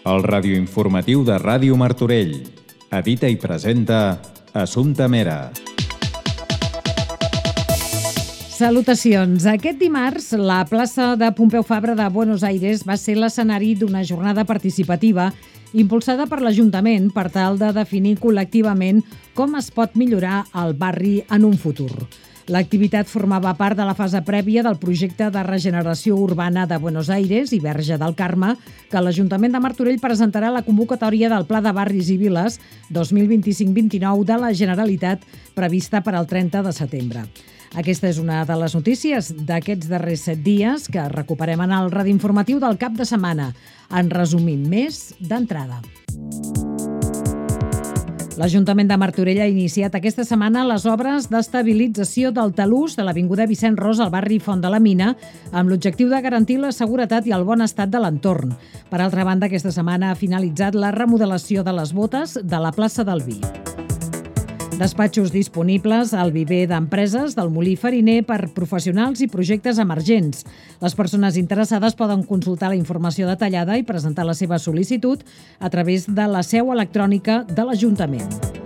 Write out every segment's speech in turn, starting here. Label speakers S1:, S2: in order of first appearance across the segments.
S1: El radioinformatiu de Ràdio Martorell. Edita i presenta Assumpta Mera.
S2: Salutacions. Aquest dimarts, la plaça de Pompeu Fabra de Buenos Aires va ser l'escenari d'una jornada participativa impulsada per l'Ajuntament per tal de definir col·lectivament com es pot millorar el barri en un futur. L'activitat formava part de la fase prèvia del projecte de regeneració urbana de Buenos Aires i Verge del Carme, que l'Ajuntament de Martorell presentarà la convocatòria del Pla de Barris i Viles 2025-29 de la Generalitat prevista per al 30 de setembre. Aquesta és una de les notícies d'aquests darrers 7 dies que recuperem en el radioinformatiu del cap de setmana. En resumim més d'entrada. L'Ajuntament de Martorell ha iniciat aquesta setmana les obres d'estabilització del talús de l'Avinguda Vicent Ros al barri Font de la Mina, amb l'objectiu de garantir la seguretat i el bon estat de l'entorn. Per altra banda, aquesta setmana ha finalitzat la remodelació de les botes de la plaça del Vi. Despatxos disponibles al viver d'empreses del Molí Fariner per professionals i projectes emergents. Les persones interessades poden consultar la informació detallada i presentar la seva sol·licitud a través de la seu electrònica de l'Ajuntament.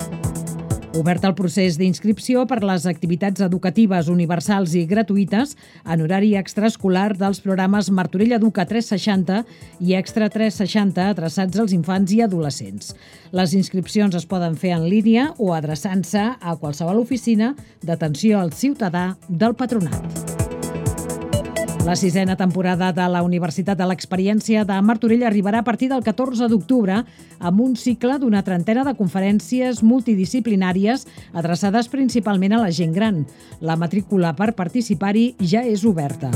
S2: Obert el procés d'inscripció per les activitats educatives universals i gratuïtes en horari extraescolar dels programes Martorell Educa 360 i Extra 360 adreçats als infants i adolescents. Les inscripcions es poden fer en línia o adreçant-se a qualsevol oficina d'atenció al ciutadà del Patronat. La 6a temporada de la Universitat de l'Experiència de Martorell arribarà a partir del 14 d'octubre amb un cicle d'una 30 de conferències multidisciplinàries adreçades principalment a la gent gran. La matrícula per participar-hi ja és oberta.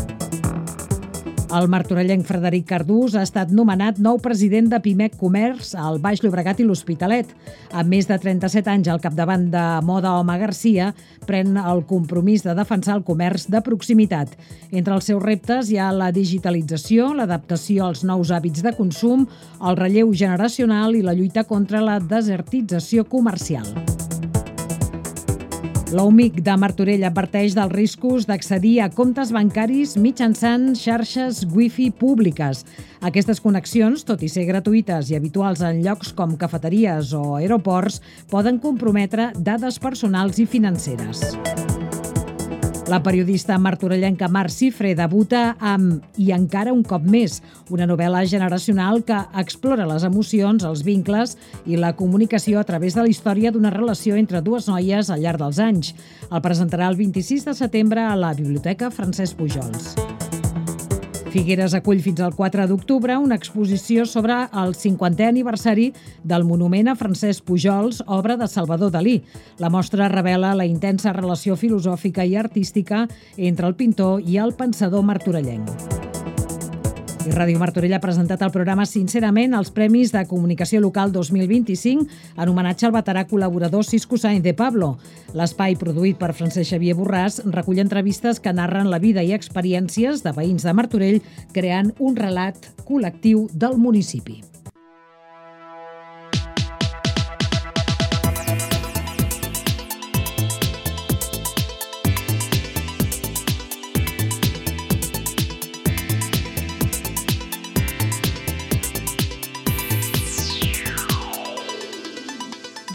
S2: El martorellenc Frederic Cardús ha estat nomenat nou president de Pimec Comerç al Baix Llobregat i l'Hospitalet. Amb més de 37 anys al capdavant de Moda Home Garcia, pren el compromís de defensar el comerç de proximitat. Entre els seus reptes hi ha la digitalització, l'adaptació als nous hàbits de consum, el relleu generacional i la lluita contra la desertització comercial. L'UMIC de Martorell adverteix dels riscos d'accedir a comptes bancaris mitjançant xarxes wifi públiques. Aquestes connexions, tot i ser gratuïtes i habituals en llocs com cafeteries o aeroports, poden comprometre dades personals i financeres. La periodista martorellenca Mar Cifre debuta amb I encara un cop més, una novel·la generacional que explora les emocions, els vincles i la comunicació a través de la història d'una relació entre dues noies al llarg dels anys. El presentarà el 26 de setembre a la Biblioteca Francesc Pujols. Figueres acull fins al 4 d'octubre una exposició sobre el 50è aniversari del monument a Francesc Pujols, obra de Salvador Dalí. La mostra revela la intensa relació filosòfica i artística entre el pintor i el pensador martorellenc. I Ràdio Martorell ha presentat el programa Sincerament als Premis de Comunicació Local 2025 en homenatge al veterà col·laborador Cisco Sáenz de Pablo. L'espai, produït per Francesc Xavier Borràs, recull entrevistes que narren la vida i experiències de veïns de Martorell, creant un relat col·lectiu del municipi.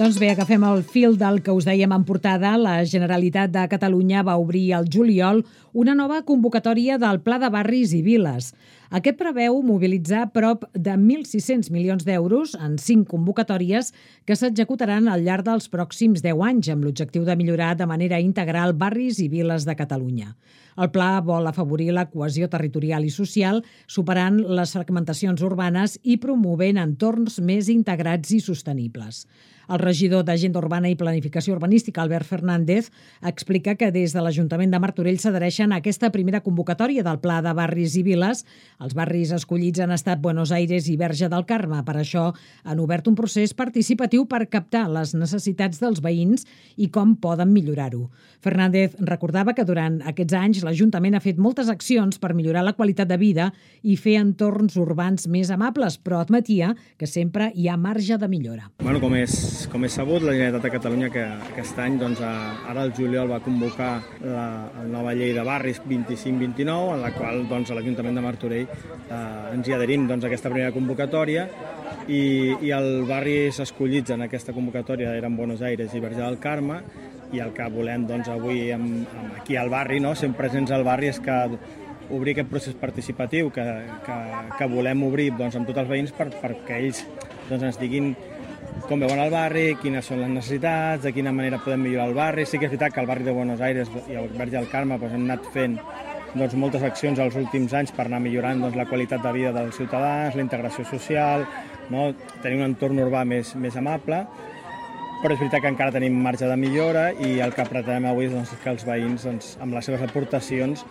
S2: Doncs bé, agafem el fil del que us dèiem en portada. La Generalitat de Catalunya va obrir al juliol una nova convocatòria del Pla de Barris i Viles. Aquest preveu mobilitzar prop de 1.600 milions d'euros en 5 convocatòries que s'executaran al llarg dels pròxims 10 anys amb l'objectiu de millorar de manera integral barris i viles de Catalunya. El pla vol afavorir la cohesió territorial i social, superant les fragmentacions urbanes i promovent entorns més integrats i sostenibles. El regidor d'Agenda Urbana i Planificació Urbanística, Albert Fernández, explica que des de l'Ajuntament de Martorell s'adhereixen a aquesta primera convocatòria del Pla de Barris i Viles Els barris escollits han estat Buenos Aires i Verge del Carme. Per això han obert un procés participatiu per captar les necessitats dels veïns i com poden millorar-ho. Fernández recordava que durant aquests anys l'Ajuntament ha fet moltes accions per millorar la qualitat de vida i fer entorns urbans més amables, però admetia que sempre hi ha marge de millora.
S3: Com és sabut, la Generalitat de Catalunya que aquest any, ara el juliol, va convocar la nova llei de barris 25-29, en la qual l'Ajuntament de Martorell ens hi adherim a aquesta primera convocatòria i els barris escollits en aquesta convocatòria eren Buenos Aires i Verge del Carme, i el que volem avui aquí al barri, sent presents al barri, és que obrir aquest procés participatiu que volem obrir amb tots els veïns perquè ells ens diguin com veuen el barri, quines són les necessitats, de quina manera podem millorar el barri. Sí que és veritat que al barri de Buenos Aires i al Verge del Carme hem anat fent moltes accions els últims anys per anar millorant la qualitat de vida dels ciutadans, la integració social, tenir un entorn urbà més amable, però és veritat que encara tenim marge de millora i el que pretenem avui és que els veïns, amb les seves aportacions,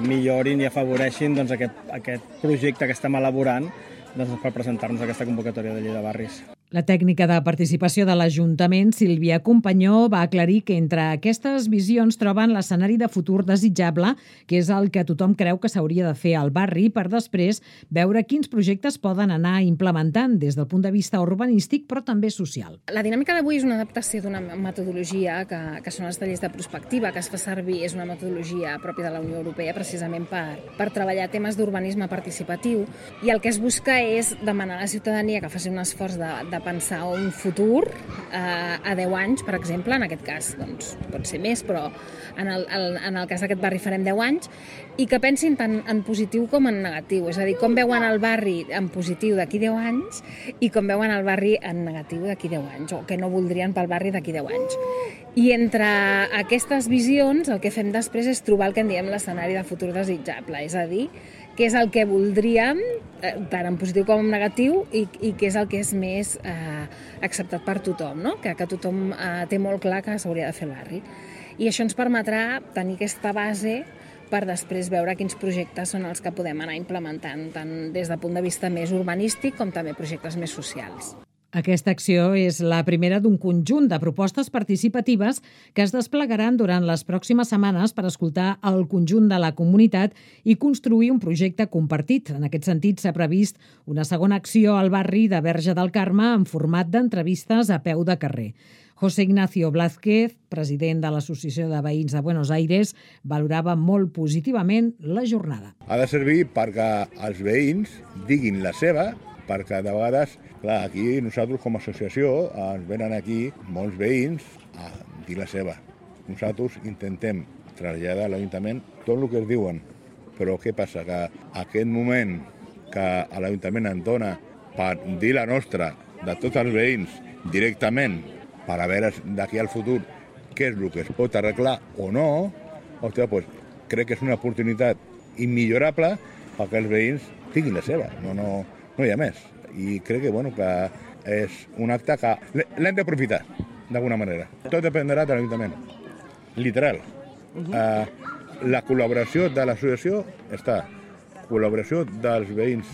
S3: millorin i afavoreixin aquest projecte que estem elaborant per presentar-nos aquesta convocatòria de llei de barris.
S2: La tècnica de participació de l'Ajuntament, Sílvia Companyó, va aclarir que entre aquestes visions troben l'escenari de futur desitjable, que és el que tothom creu que s'hauria de fer al barri, per després veure quins projectes poden anar implementant des del punt de vista urbanístic, però també social.
S4: La dinàmica d'avui és una adaptació d'una metodologia que són els tallers de prospectiva, que es fa servir, és una metodologia pròpia de la Unió Europea, precisament per treballar temes d'urbanisme participatiu, i el que es busca és demanar a la ciutadania que faci un esforç de pensar un futur a 10 anys, per exemple. En aquest cas pot ser més, però en el cas d'aquest barri farem 10 anys, i que pensin tant en positiu com en negatiu. És a dir, com veuen el barri en positiu d'aquí 10 anys i com veuen el barri en negatiu d'aquí 10 anys, o que no voldrien pel barri d'aquí 10 anys. I entre aquestes visions el que fem després és trobar el que en diem l'escenari de futur desitjable, és a dir, què és el que voldríem, tant en positiu com en negatiu, i què és el que és més acceptat per tothom, que tothom té molt clar que s'hauria de fer el barri. I això ens permetrà tenir aquesta base per després veure quins projectes són els que podem anar implementant, tant des del punt de vista més urbanístic com també projectes més socials.
S2: Aquesta acció és la primera d'un conjunt de propostes participatives que es desplegaran durant les pròximes setmanes per escoltar el conjunt de la comunitat i construir un projecte compartit. En aquest sentit, s'ha previst una segona acció al barri de Verge del Carme en format d'entrevistes a peu de carrer. José Ignacio Blázquez, president de l'Associació de Veïns de Buenos Aires, valorava molt positivament la jornada.
S5: Ha de servir perquè els veïns diguin la seva, perquè de vegades, clar, aquí nosaltres com a associació ens venen aquí molts veïns a dir la seva. Nosaltres intentem traslladar a l'Ajuntament tot el que es diuen, però què passa? Que aquest moment que l'Ajuntament ens dona per dir la nostra de tots els veïns directament, per a veure d'aquí al futur què és el que es pot arreglar o no, crec que és una oportunitat immillorable perquè els veïns diguin la seva. No hi ha més. I crec que és un acte que l'hem d'aprofitar, d'alguna manera. Tot dependrà de l'Ajuntament. Literal. La col·laboració de l'associació està. Col·laboració dels veïns,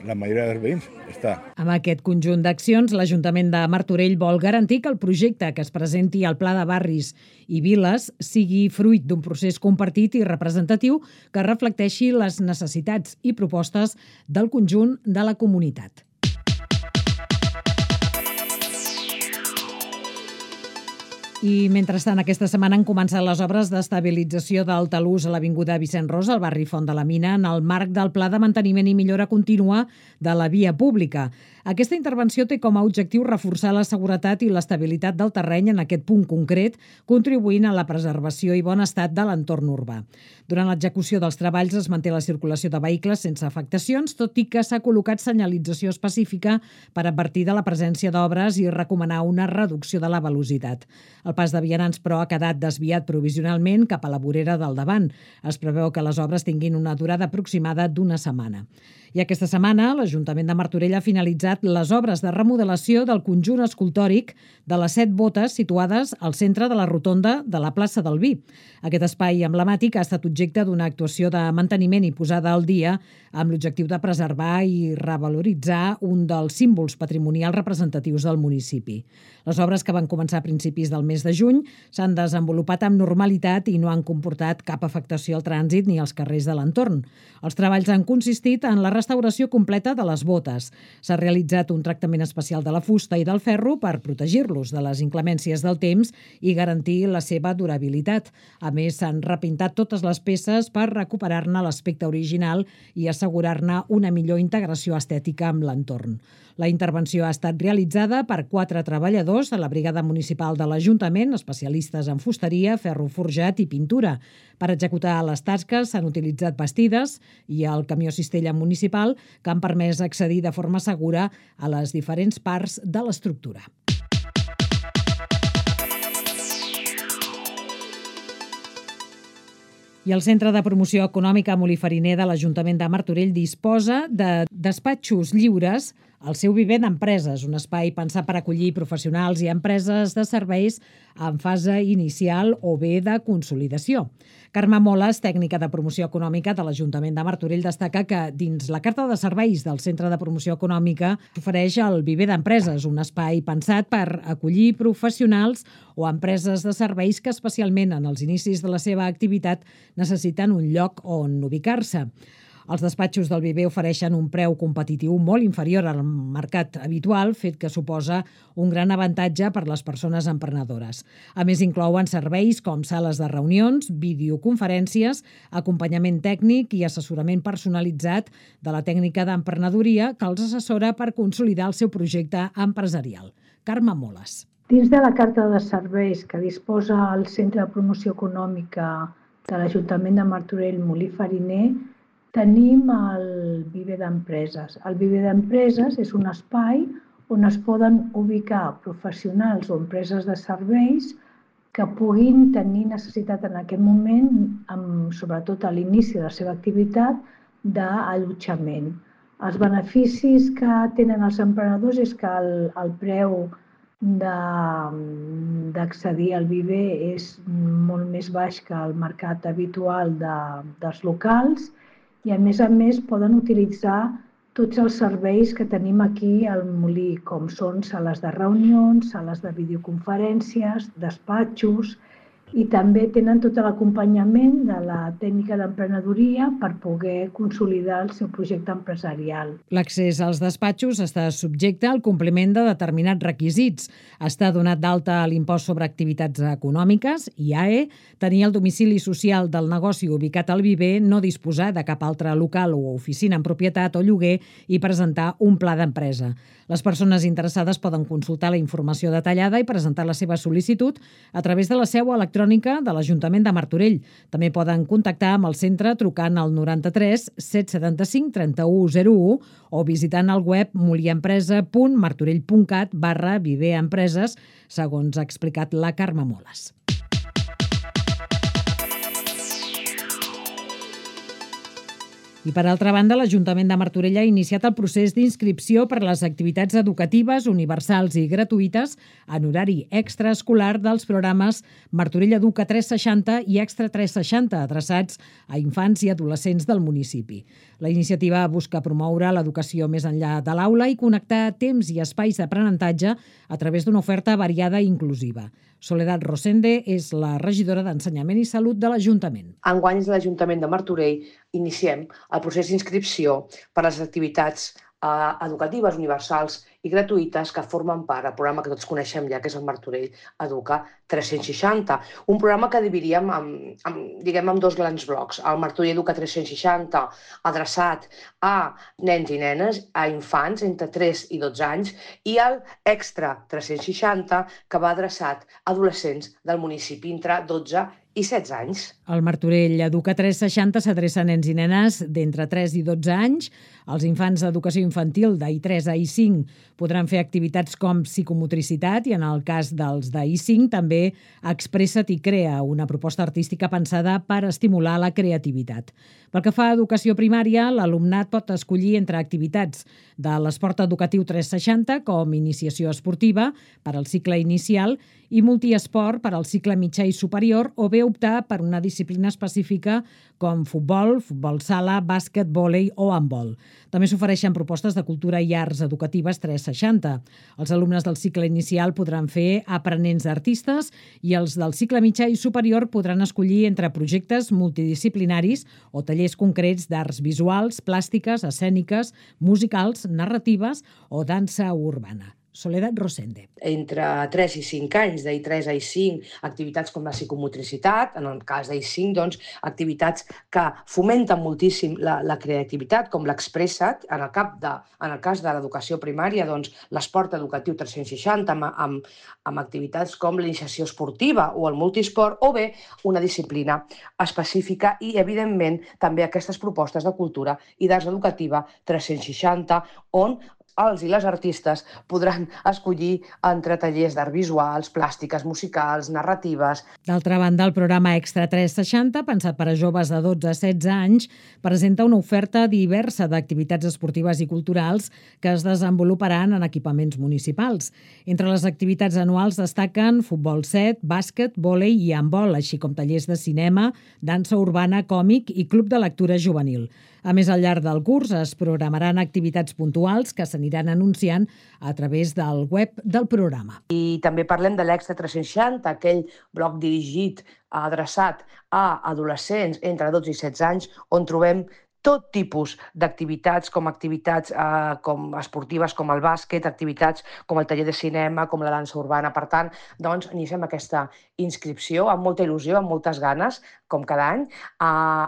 S5: la majoria dels veïns, està.
S2: Amb aquest conjunt d'accions, l'Ajuntament de Martorell vol garantir que el projecte que es presenti al Pla de Barris i Viles sigui fruit d'un procés compartit i representatiu que reflecteixi les necessitats i propostes del conjunt de la comunitat. I, mentrestant, aquesta setmana han començat les obres d'estabilització del talús a l'Avinguda Vicent Ros, al barri Font de la Mina, en el marc del Pla de Manteniment i Millora Contínua de la Via Pública. Aquesta intervenció té com a objectiu reforçar la seguretat i l'estabilitat del terreny en aquest punt concret, contribuint a la preservació i bon estat de l'entorn urbà. Durant l'execució dels treballs es manté la circulació de vehicles sense afectacions, tot i que s'ha col·locat senyalització específica per advertir de la presència d'obres i recomanar una reducció de la velocitat. El pas de vianants, però, ha quedat desviat provisionalment cap a la vorera del davant. Es preveu que les obres tinguin una durada aproximada d'1 setmana. I aquesta setmana l'Ajuntament de Martorell ha finalitzat les obres de remodelació del conjunt escultòric de les 7 botes situades al centre de la rotonda de la plaça del Vi. Aquest espai emblemàtic ha estat objecte d'una actuació de manteniment i posada al dia amb l'objectiu de preservar i revaloritzar un dels símbols patrimonials representatius del municipi. Les obres, que van començar a principis del mes de juny, s'han desenvolupat amb normalitat i no han comportat cap afectació al trànsit ni als carrers de l'entorn. Els treballs han consistit en la restauració completa de les botes. S'ha realitzat un tractament especial de la fusta i del ferro per protegir-los de les inclemències del temps i garantir la seva durabilitat. A més, s'han repintat totes les peces per recuperar-ne l'aspecte original i assegurar-ne una millor integració estètica amb l'entorn. La intervenció ha estat realitzada per 4 treballadors de la Brigada Municipal de l'Ajuntament, especialistes en fusteria, ferro forjat i pintura. Per executar les tasques s'han utilitzat bastides i el camió cistella municipal, que han permès accedir de forma segura a les diferents parts de l'estructura. I el Centre de Promoció Econòmica Molí-Fariner de l'Ajuntament de Martorell disposa de despatxos lliures al seu viver d'empreses, un espai pensat per acollir professionals i empreses de serveis en fase inicial o bé de consolidació. Carme Moles, tècnica de promoció econòmica de l'Ajuntament de Martorell, destaca que dins la carta de serveis del Centre de Promoció Econòmica ofereix el viver d'empreses, un espai pensat per acollir professionals o empreses de serveis que, especialment en els inicis de la seva activitat, necessiten un lloc on ubicar-se. Els despatxos del viver ofereixen un preu competitiu molt inferior al mercat habitual, fet que suposa un gran avantatge per les persones emprenedores. A més, inclouen serveis com sales de reunions, videoconferències, acompanyament tècnic i assessorament personalitzat de la tècnica d'emprenedoria que els assessora per consolidar el seu projecte empresarial. Carme Moles.
S6: Dins de la carta de serveis que disposa el Centre de Promoció Econòmica de l'Ajuntament de Martorell Molí-Fariner, tenim el viver d'empreses. El viver d'empreses és un espai on es poden ubicar professionals o empreses de serveis que puguin tenir necessitat en aquest moment, sobretot a l'inici de la seva activitat, d'allotjament. Els beneficis que tenen els emprenedors és que el preu d'accedir al viver és molt més baix que el mercat habitual dels locals i, a més, poden utilitzar tots els serveis que tenim aquí al Molí, com són sales de reunions, sales de videoconferències, despatxos, i també tenen tot l'acompanyament de la tècnica d'emprenedoria per poder consolidar el seu projecte empresarial.
S2: L'accés als despatxos està subjecte al compliment de determinats requisits. Està donat d'alta a l'impost sobre activitats econòmiques, IAE, tenir el domicili social del negoci ubicat al viver, no disposar de cap altre local o oficina en propietat o lloguer i presentar un pla d'empresa. Les persones interessades poden consultar la informació detallada i presentar la seva sol·licitud a través de la seu electrònica de l'Ajuntament de Martorell. També poden contactar amb el centre trucant al 93 775 3101 o visitant el web moliempresa.martorell.cat/viverempreses, segons ha explicat la Carme Moles. I, per altra banda, l'Ajuntament de Martorell ha iniciat el procés d'inscripció per a les activitats educatives universals i gratuïtes en horari extraescolar dels programes Martorell Educa 360 i Extra 360, adreçats a infants i adolescents del municipi. La iniciativa busca promoure l'educació més enllà de l'aula i connectar temps i espais d'aprenentatge a través d'una oferta variada i inclusiva. Soledad Rosende és la regidora d'Ensenyament i Salut de l'Ajuntament.
S7: Enguany, l'Ajuntament de Martorell iniciem el procés d'inscripció per a les activitats educatives universals i gratuïtes que formen part del programa que tots coneixem ja, que és el Martorell Educa 360. Un programa que dividíem en dos grans blocs. El Martorell Educa 360, adreçat a nens i nenes, a infants entre 3 i 12 anys, i el Extra 360, que va adreçat a adolescents del municipi entre 12 i 16 anys.
S2: El Martorell Educa 360 s'adreça a nens i nenes d'entre 3 i 12 anys. Els infants d'educació infantil d'I3 a I5 podran fer activitats com psicomotricitat i, en el cas dels d'I5, també Expressa't i Crea, una proposta artística pensada per estimular la creativitat. Pel que fa a educació primària, l'alumnat pot escollir entre activitats de l'esport educatiu 360, com iniciació esportiva per al cicle inicial i multiesport per al cicle mitjà i superior, o bé optar per una disciplina específica com futbol, futbol sala, bàsquet, vòlei o handbol. També s'ofereixen propostes de cultura i arts educatives 360. Els alumnes del cicle inicial podran fer aprenents d'artistes i els del cicle mitjà i superior podran escollir entre projectes multidisciplinaris o tallers concrets d'arts visuals, plàstiques, escèniques, musicals, narratives o dansa urbana. Soledad Rosende.
S7: Entre 3 i 5 anys, d'I3 a I5, activitats com la psicomotricitat, en el cas d'I5, doncs, activitats que fomenten moltíssim la creativitat, com l'Expressa't. En el cas de l'educació primària, doncs, l'esport educatiu 360, amb activitats com l'iniciació esportiva o el multisport, o bé una disciplina específica i, evidentment, també aquestes propostes de cultura i d'arts educativa 360, on els i les artistes podran escollir entre tallers d'art visuals, plàstiques, musicals, narratives.
S2: D'altra banda, el programa Extra 360, pensat per a joves de 12 a 16 anys, presenta una oferta diversa d'activitats esportives i culturals que es desenvoluparan en equipaments municipals. Entre les activitats anuals destaquen futbol 7, bàsquet, vòlei i handbol, així com tallers de cinema, dansa urbana, còmic i club de lectura juvenil. A més, al llarg del curs es programaran activitats puntuals que s'aniran anunciant a través del web del programa.
S7: I també parlem de l'Extra 360, aquell bloc dirigit, adreçat a adolescents entre 12 i 16 anys, on trobem tot tipus d'activitats, com esportives com el bàsquet, activitats com el taller de cinema, com la dansa urbana. Per tant, doncs, iniciem aquesta inscripció amb molta il·lusió, amb moltes ganes, com cada any,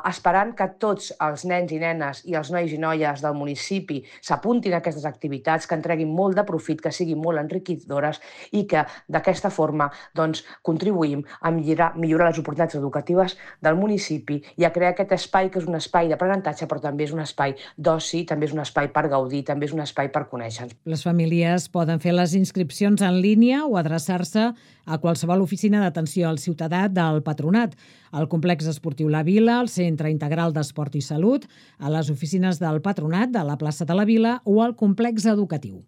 S7: esperant que tots els nens i nenes i els nois i noies del municipi s'apuntin a aquestes activitats, que en treguin molt de profit, que siguin molt enriquidores i que d'aquesta forma doncs, contribuïm a millorar les oportunitats educatives del municipi i a crear aquest espai que és un espai d'aprenentatge, però també és un espai d'oci, també és un espai per gaudir, també és un espai per conèixer.
S2: Les famílies poden fer les inscripcions en línia o adreçar-se a qualsevol oficina d'atenció al ciutadà del Patronat, al Complex Esportiu La Vila, al Centre Integral d'Esport i Salut, a les oficines del Patronat de la plaça de la Vila o al Complex Educatiu.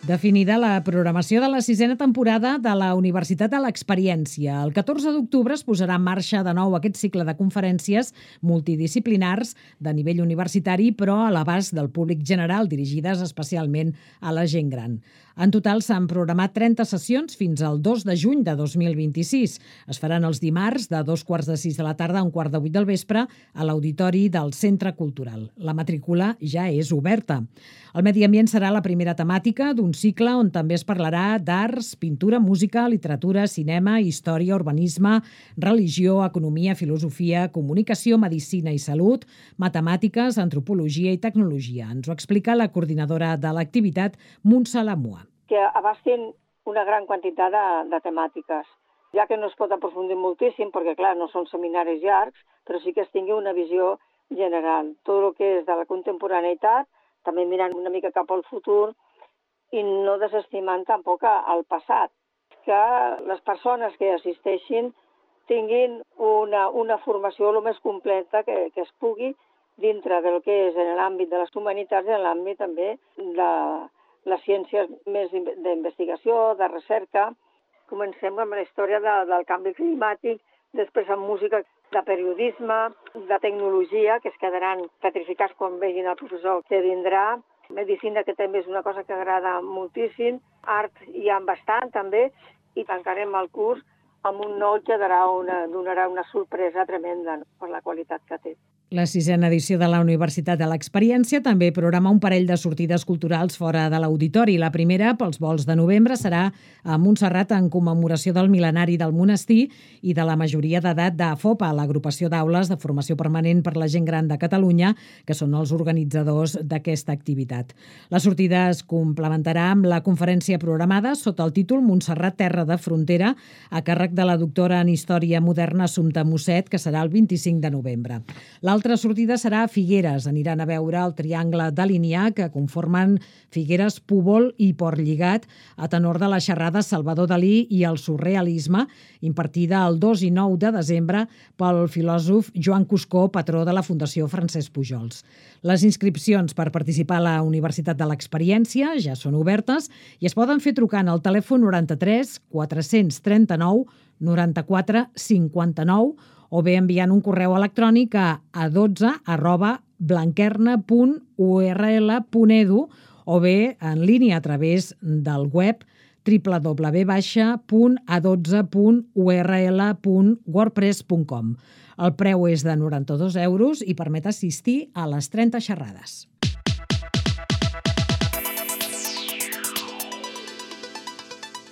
S2: Definida la programació de la 6a temporada de la Universitat de l'Experiència. El 14 d'octubre es posarà en marxa de nou aquest cicle de conferències multidisciplinars de nivell universitari, però a l'abast del públic general, dirigides especialment a la gent gran. En total s'han programat 30 sessions fins al 2 de juny de 2026. Es faran els dimarts de 2:45 de la tarda a 7:15 del vespre a l'Auditori del Centre Cultural. La matrícula ja és oberta. El medi ambient serà la primera temàtica d'un cicle on també es parlarà d'arts, pintura, música, literatura, cinema, història, urbanisme, religió, economia, filosofia, comunicació, medicina i salut, matemàtiques, antropologia i tecnologia. Ens ho explica la coordinadora de l'activitat, Montse Lamua.
S8: Que abastin una gran quantitat de temàtiques, ja que no es pot aprofundir moltíssim, perquè clar, no són seminaris llargs, però sí que es tingui una visió general. Tot el que és de la contemporaneïtat, també mirant una mica cap al futur i no desestimant tampoc el passat. Que les persones que assisteixin tinguin una formació el més completa que es pugui dintre del que és en l'àmbit de les humanitats i en l'àmbit també de les ciències més d'investigació, de recerca. Comencem amb la història del canvi climàtic, després amb música de periodisme, de tecnologia, que es quedaran petrificats quan vegin el professor que vindrà, medicina, que també és una cosa que agrada moltíssim, art hi ha bastant també, i tancarem el curs amb un nou donarà una sorpresa tremenda, no?, per la qualitat que té.
S2: La 6a edició de la Universitat de l'Experiència també programa un parell de sortides culturals fora de l'auditori. La primera, pels vols de novembre, serà a Montserrat en commemoració del mil·lenari del monestir i de la majoria d'edat d'AFOPA, l'agrupació d'aules de formació permanent per la gent gran de Catalunya, que són els organitzadors d'aquesta activitat. La sortida es complementarà amb la conferència programada sota el títol Montserrat, terra de frontera, a càrrec de la doctora en Història Moderna Assumpta Mosset, que serà el 25 de novembre. L'altra sortida serà a Figueres. Aniran a veure el triangle de Linyà, que conformen Figueres, Púbol i Portlligat, a tenor de la xerrada Salvador Dalí i el surrealisme, impartida el 2 i 9 de desembre pel filòsof Joan Cuscó, patró de la Fundació Francesc Pujols. Les inscripcions per participar a la Universitat de l'Experiència ja són obertes i es poden fer trucant al telèfon 93 439 94 59 o bé enviant un correu electrònic a a12@blanquerna.url.edu o bé en línia a través del web www.a12.url.wordpress.com. El preu és de 92 € i permet assistir a les 30 xerrades.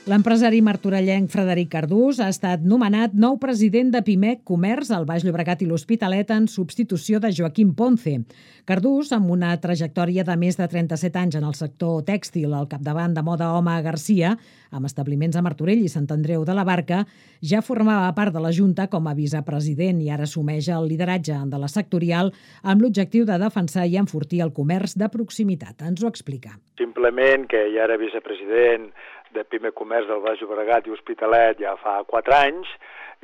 S2: L'empresari martorellenc Frederic Cardús ha estat nomenat nou president de Pimec Comerç al Baix Llobregat i l'Hospitalet en substitució de Joaquim Ponce. Cardús, amb una trajectòria de més de 37 anys en el sector tèxtil al capdavant de Moda Home Garcia, amb establiments a Martorell i Sant Andreu de la Barca, ja formava part de la Junta com a vicepresident i ara assumeix el lideratge de la sectorial amb l'objectiu de defensar i enfortir el comerç de proximitat. Ens ho explica.
S9: Simplement que ja era vicepresident de Pimec Comerç del Baix Llobregat i Hospitalet ja fa 4 anys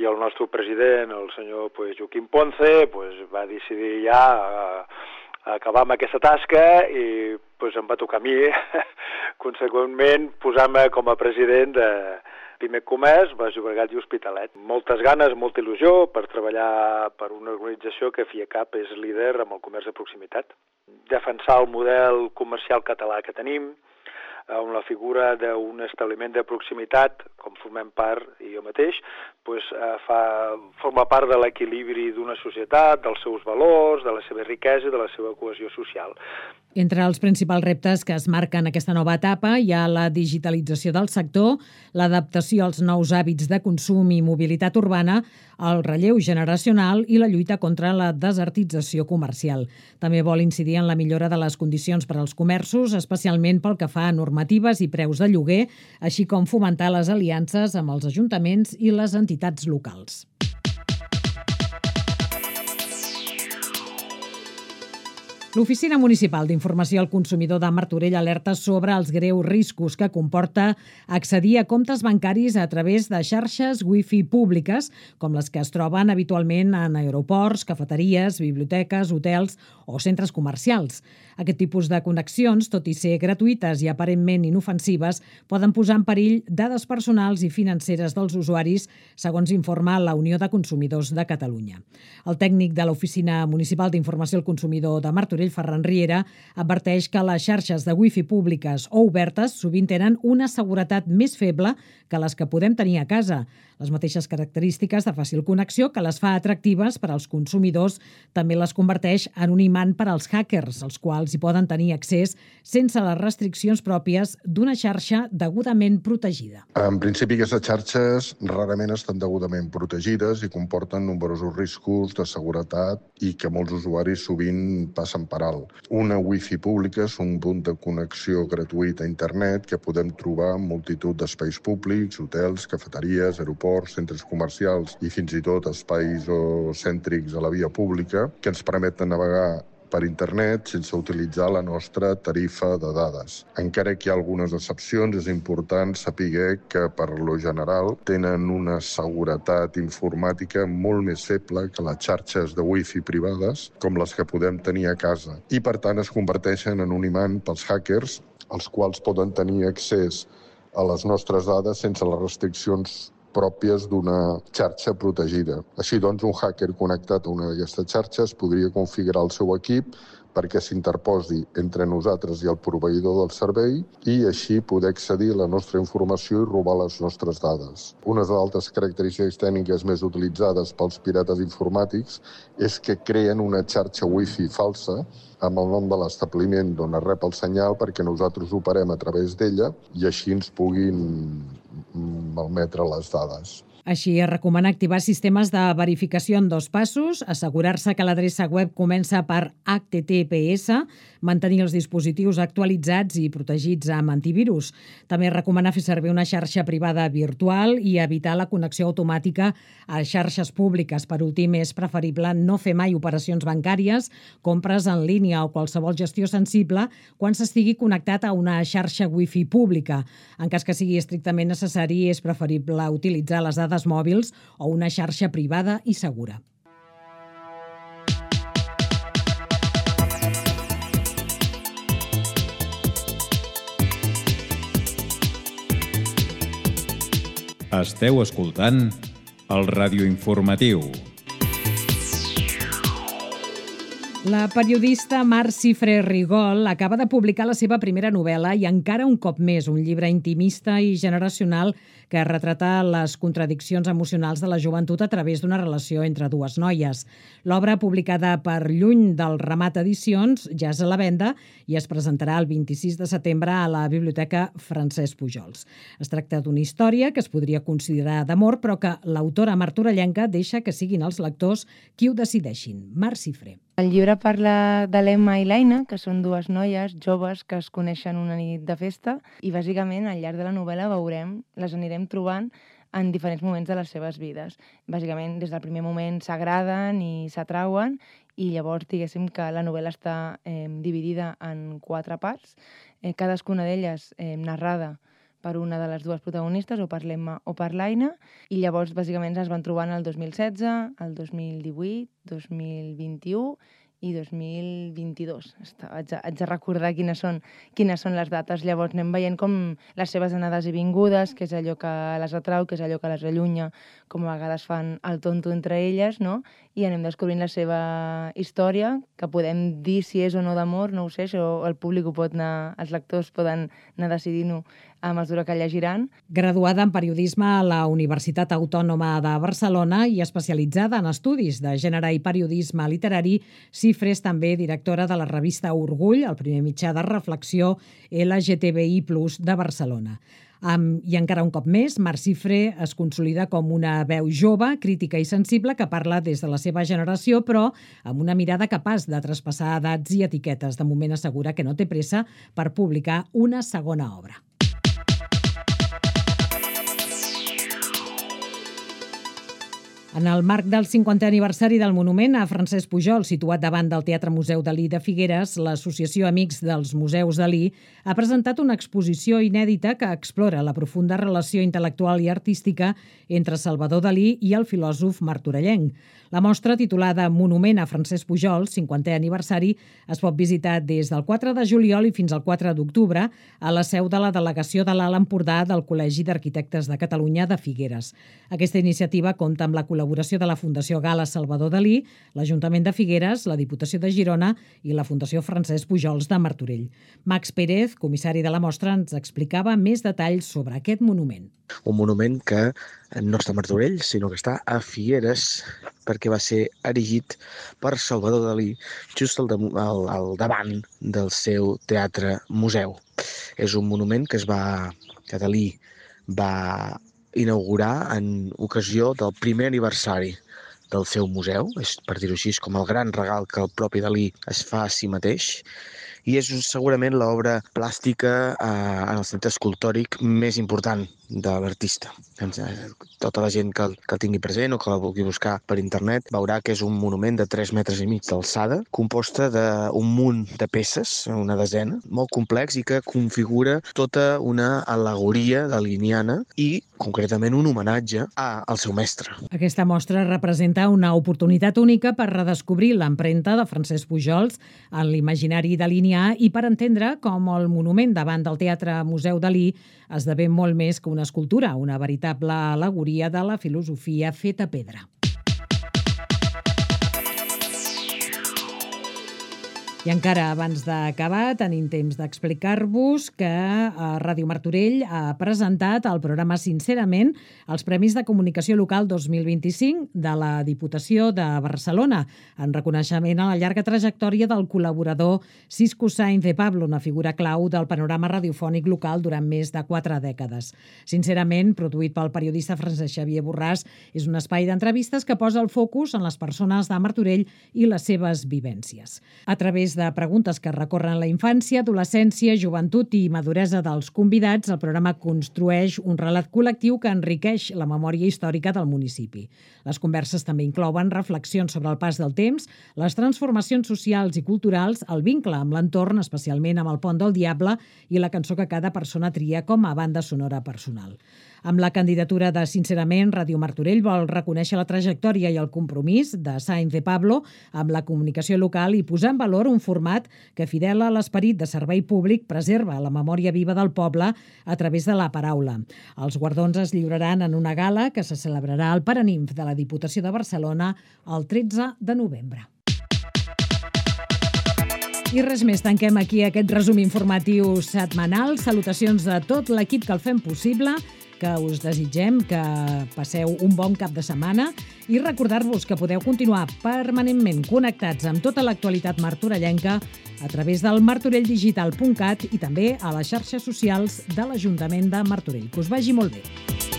S9: i el nostre president, el senyor Joaquim Ponce, va decidir ja acabar amb aquesta tasca i em va tocar a mi, conseqüentment, posar-me com a president de Pimec Comerç, Baix Llobregat i Hospitalet. Moltes ganes, molta il·lusió per treballar per una organització que FIACAP és líder amb el comerç de proximitat. Defensar el model comercial català que tenim, amb la figura d'un establiment de proximitat, com formem part, i jo mateix, forma part de l'equilibri d'una societat, dels seus valors, de la seva riquesa i de la seva cohesió social.
S2: Entre els principals reptes que es marquen aquesta nova etapa hi ha la digitalització del sector, l'adaptació als nous hàbits de consum i mobilitat urbana, el relleu generacional i la lluita contra la desertització comercial. També vol incidir en la millora de les condicions per als comerços, especialment pel que fa a normatives i preus de lloguer, així com fomentar les aliances amb els ajuntaments i les entitats locals. L'Oficina Municipal d'Informació al Consumidor de Martorell alerta sobre els greus riscos que comporta accedir a comptes bancaris a través de xarxes wifi públiques, com les que es troben habitualment en aeroports, cafeteries, biblioteques, hotels o centres comercials. Aquest tipus de connexions, tot i ser gratuïtes i aparentment inofensives, poden posar en perill dades personals i financeres dels usuaris, segons informa la Unió de Consumidors de Catalunya. El tècnic de l'Oficina Municipal d'Informació al Consumidor de Martorell, Ferran Riera, adverteix que les xarxes de wifi públiques o obertes sovint tenen una seguretat més feble que les que podem tenir a casa. Les mateixes característiques de fàcil connexió que les fa atractives per als consumidors també les converteix en un imant per als hackers, els quals hi poden tenir accés sense les restriccions pròpies d'una xarxa degudament protegida.
S10: En principi, aquestes xarxes rarament estan degudament protegides i comporten nombrosos riscos de seguretat i que molts usuaris sovint passen per alt. Una wifi pública és un punt de connexió gratuït a internet que podem trobar en multitud d'espais públics, hotels, cafeteries, aeroports, centres comercials i fins i tot espais cèntrics a la via pública que ens permeten navegar per internet sense utilitzar la nostra tarifa de dades. Encara que hi ha algunes excepcions, és important saber que, per lo general, tenen una seguretat informàtica molt més feble que les xarxes de wifi privades, com les que podem tenir a casa. I, per tant, es converteixen en un imant pels hackers, els quals poden tenir accés a les nostres dades sense les restriccions pròpies d'una xarxa protegida. Així doncs, un hacker connectat a una d'aquestes xarxes podria configurar el seu equip perquè s'interposi entre nosaltres i el proveïdor del servei i així poder accedir a la nostra informació i robar les nostres dades. Una de les altres característiques tècniques més utilitzades pels pirates informàtics és que creen una xarxa wifi falsa amb el nom de l'establiment d'on es rep el senyal perquè nosaltres operem a través d'ella i així ens puguin malmetre les dades.
S2: Així, es recomana activar sistemes de verificació en 2 passos, assegurar-se que l'adreça web comença per HTTPS, mantenir els dispositius actualitzats i protegits amb antivirus. També recomana fer servir una xarxa privada virtual i evitar la connexió automàtica a xarxes públiques. Per últim, és preferible no fer mai operacions bancàries, compres en línia o qualsevol gestió sensible quan s'estigui connectat a una xarxa wifi pública. En cas que sigui estrictament necessari, és preferible utilitzar les dades mòbils o una xarxa privada i segura.
S1: Esteu escoltant el radioinformatiu.
S2: La periodista Mar Cifré Rigol acaba de publicar la seva primera novel·la i encara un cop més un llibre intimista i generacional que retrata les contradiccions emocionals de la joventut a través d'una relació entre 2 noies. L'obra, publicada per Lluny del Ramat Edicions, ja és a la venda i es presentarà el 26 de setembre a la Biblioteca Francesc Pujols. Es tracta d'una història que es podria considerar d'amor, però que l'autora martorellenca deixa que siguin els lectors qui ho decideixin. Mar Cifré.
S11: El llibre parla de l'Emma i l'Aina, que són 2 noies joves que es coneixen una nit de festa i bàsicament al llarg de la novel·la les anirem trobant en diferents moments de les seves vides. Bàsicament des del primer moment s'agraden i s'atrauen i llavors diguéssim que la novel·la està dividida en 4 parts, cadascuna d'elles narrada per una de les 2 protagonistes, o per l'Emma o per l'Aina, i llavors bàsicament es van trobant el 2016, el 2018, 2021 i 2022. Haig de recordar quines són les dates. Llavors anem veient com les seves anades i vingudes, que és allò que les atrau, que és allò que les allunya, com a vegades fan el tonto entre elles, no? I anem descobrint la seva història, que podem dir si és o no d'amor, no ho sé, això el públic ho pot anar, els lectors poden anar decidint-ho a mesura que llegiran.
S2: Graduada en periodisme a la Universitat Autònoma de Barcelona i especialitzada en estudis de gènere i periodisme literari, Cifré és també directora de la revista Orgull, el primer mitjà de reflexió LGTBI+ de Barcelona. I encara un cop més, Mar Cifré es consolida com una veu jove, crítica i sensible que parla des de la seva generació, però amb una mirada capaç de traspassar edats i etiquetes. De moment assegura que no té pressa per publicar una segona obra. En el marc del 50è aniversari del monument a Francesc Pujols, situat davant del Teatre Museu Dalí de Figueres, l'Associació Amics dels Museus Dalí ha presentat una exposició inèdita que explora la profunda relació intel·lectual i artística entre Salvador Dalí i el filòsof martorellenc. La mostra, titulada Monument a Francesc Pujols, 50è aniversari, es pot visitar des del 4 de juliol i fins al 4 d'octubre a la seu de la Delegació de l'Alt Empordà del Col·legi d'Arquitectes de Catalunya de Figueres. Aquesta iniciativa compta amb la col·laboració de la Fundació Gala Salvador Dalí, l'Ajuntament de Figueres, la Diputació de Girona i la Fundació Francesc Pujols de Martorell. Max Pérez, comissari de la mostra, ens explicava més detalls sobre aquest monument.
S12: Un monument que no està a Martorell, sinó que està a Figueres, perquè va ser erigit per Salvador Dalí just al davant del seu teatre-museu. És un monument que Dalí va inaugurar en ocasió del primer aniversari del seu museu, és, per dir-ho així, com el gran regal que el propi Dalí es fa a si mateix, i és segurament l'obra plàstica en el sentit escultòric més important de l'artista. Tota la gent que el tingui present o que la vulgui buscar per internet veurà que és un monument de 3,5 metres d'alçada, composta d'un munt de peces, una desena, molt complex i que configura tota una al·legoria daliniana i, concretament, un homenatge al seu mestre.
S2: Aquesta mostra representa una oportunitat única per redescobrir l'empremta de Francesc Pujols en l'imaginari dalinià Damià i per entendre com el monument davant del Teatre Museu Dalí esdevé molt més que una escultura, una veritable al·legoria de la filosofia feta a pedra. I encara abans d'acabar tenim temps d'explicar-vos que Ràdio Martorell ha presentat al programa Sincerament els Premis de Comunicació Local 2025 de la Diputació de Barcelona, en reconeixement a la llarga trajectòria del col·laborador Cisco Sainz de Pablo, una figura clau del panorama radiofònic local durant més de 4 dècades. Sincerament, produït pel periodista Francesc Xavier Borràs, és un espai d'entrevistes que posa el focus en les persones de Martorell i les seves vivències. A través de preguntes que recorren la infància, adolescència, joventut i maduresa dels convidats, el programa construeix un relat col·lectiu que enriqueix la memòria històrica del municipi. Les converses també inclouen reflexions sobre el pas del temps, les transformacions socials i culturals, el vincle amb l'entorn, especialment amb el Pont del Diable, i la cançó que cada persona tria com a banda sonora personal. Amb la candidatura de Sincerament, Ràdio Martorell vol reconèixer la trajectòria i el compromís de Sainz de Pablo amb la comunicació local i posar en valor un format que, fidel a l'esperit de servei públic, preserva la memòria viva del poble a través de la paraula. Els guardons es lliuraran en una gala que se celebrarà al Paranimf de la Diputació de Barcelona el 13 de novembre. I res més, tanquem aquí aquest resum informatiu setmanal. Salutacions a tot l'equip que el fem possible, que us desitgem que passeu un bon cap de setmana i recordar-vos que podeu continuar permanentment connectats amb tota l'actualitat martorellenca a través del martorelldigital.cat i també a les xarxes socials de l'Ajuntament de Martorell. Que us vagi molt bé.